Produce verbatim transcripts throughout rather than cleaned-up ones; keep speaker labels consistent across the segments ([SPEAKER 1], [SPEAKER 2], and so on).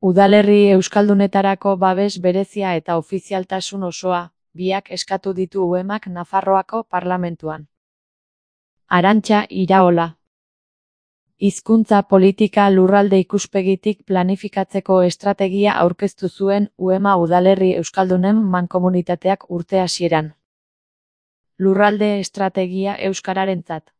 [SPEAKER 1] Udalerri euskaldunetarako babes berezia eta ofizialtasun osoa, biak eskatu ditu uemak Nafarroako parlamentuan. Arantxa Iraola. Hizkuntza politika lurralde ikuspegitik planifikatzeko estrategia aurkeztu zuen uema udalerri euskaldunen mankomunitateak urte hasieran. Lurralde estrategia euskararentzat.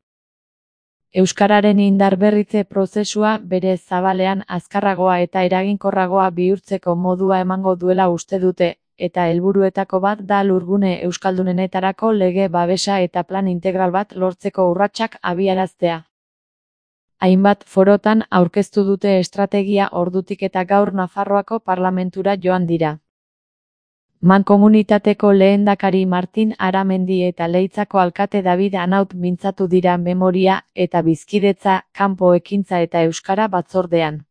[SPEAKER 1] Euskararen indarberritze prozesua bere zabalean azkarragoa eta eraginkorragoa bihurtzeko modua emango duela uste dute, eta helburuetako bat da lurgune euskaldunenetarako lege babesa eta plan integral bat lortzeko urratsak abiaraztea. Hainbat forotan aurkeztu dute estrategia ordutik eta gaur Nafarroako parlamentura joan dira. Mankomunitateko lehendakari Martin Aramendi eta Leitzako alkate David Anaut mintzatu dira memoria eta bizkidetza, kanpo ekintza eta euskara batzordean.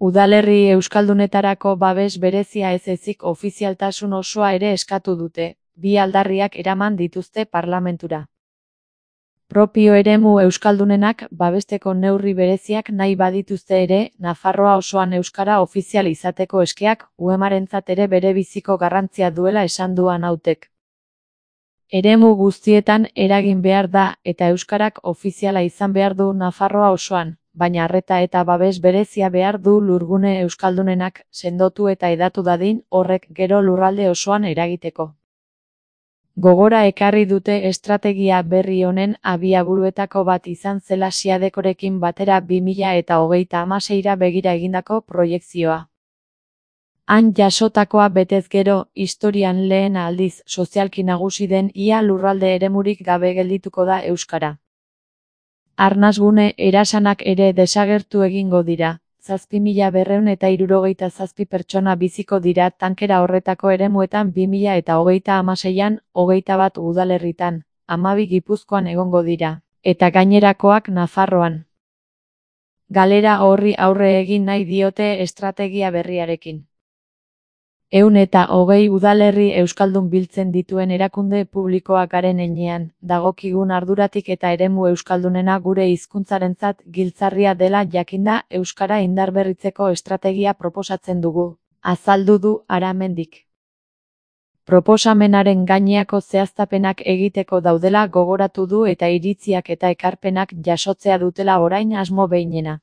[SPEAKER 1] Udalerri euskaldunetarako babes berezia ez ezik ofizialtasun osoa ere eskatu dute, bi aldarriak eraman dituzte parlamentura. Propio eremu euskaldunenak babesteko neurri bereziak nahi badituzte ere, Nafarroa osoan euskara ofizial izateko eskeak uemarentzat ere bere biziko garrantzia duela esan du Anautek. Eremu guztietan eragin behar da eta euskarak ofiziala izan behar du Nafarroa osoan, baina arreta eta babes berezia behar du lurgune euskaldunenak sendotu eta hedatu dadin horrek gero lurralde osoan eragiteko. Gogora ekarri dute estrategia berri honen abiaburuetako bat izan zela Siadekorekin batera bi mila eta hogeita hamaseira begira egindako proiekzioa. Han jasotakoa betez gero, historian lehen aldiz sozialki nagusi den ia lurralde eremurik gabe geldituko da euskara. Arnasgune erasanak ere desagertu egingo dira. Zazpi mila berrehun eta hirurogeita zazpi pertsona biziko dira tankera horretako eremuetan bi mila eta hogeita hamaseian, hogeita bat udalerritan, hamabi Gipuzkoan egongo dira, eta gainerakoak Nafarroan. Galera horri aurre egin nahi diote estrategia berriarekin. Ehun eta hogei udalerri euskaldun biltzen dituen erakunde publikoak garen heinean, dagokigun arduratik eta eremu euskaldunena gure hizkuntzarentzat giltzarria dela jakinda euskara indarberritzeko estrategia proposatzen dugu, azaldu du Aramendik. Proposamenaren gaineako zehaztapenak egiteko daudela gogoratu du eta iritziak eta ekarpenak jasotzea dutela orain asmo behinena.